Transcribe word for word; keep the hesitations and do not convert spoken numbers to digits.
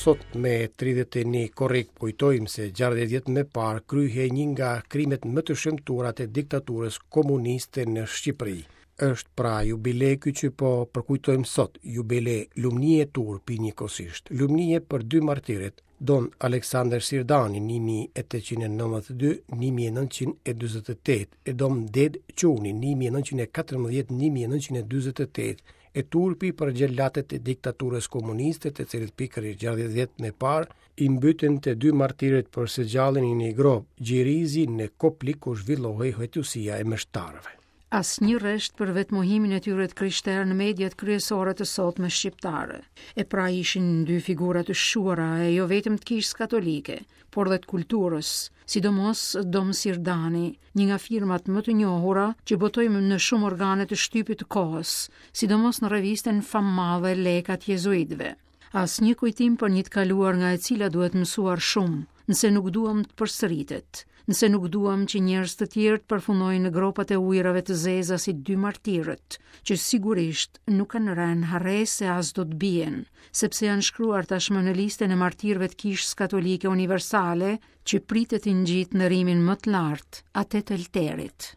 Sot me tridhjetë e një korrik kujtojmë se gjashtëdhjetë vjet më parë kryhej një nga krimet më të shëmtuara të diktaturës komuniste në Shqipëri. Është pra jubile ky që po përkujtojmë sot, jubile lumnie e turpi njëkohësisht. Lumnie për dy martirët, Don Aleksandër Sirdani një mijë e tetëqind e nëntëdhjetë e dy, një mijë e nëntëqind e dyzet e tetë, e Dom Dedë Çuni një mijë e nëntëqind e katërmbëdhjetë, një mijë e nëntëqind e dyzet e tetë, e turpi për xhelatët e diktaturës komuniste, të cilët pikërisht gjashtëdhjetë vjet më parë i mbytën të dy martirët për së gjalli në një gropë gjirizi në Koplik ku zhvillohej hetusia e meshtarëve. Asnjë rresht për vetmohimin e tyre të krishterë në mediat kryesore të sotme shqiptare. E pra ishin dy figura të shquara e jo vetëm të kishës katolike, por dhe të kulturës, sidomos Dom Sirdani, një nga firmat më të njohura që botoi në shumë organe të shtypit të kohës, sidomos në revistën fammadhe Lekat Jezuitëve. Asnjë kujtim për një të kaluar nga e cila duhet mësuar shumë, nëse nuk duam të përsëritet, nëse nuk duam që njerëz të tjerë të përfundojnë në gropat e ujërave të zeza si dy martirët, që sigurisht nuk kanë rënë harresë e as do të bien, sepse janë shkruar tashmë në listën e martirëve të Kishës Katolike Universale, që pritet i ngjit në rimin më të lartë, atë të Elterit.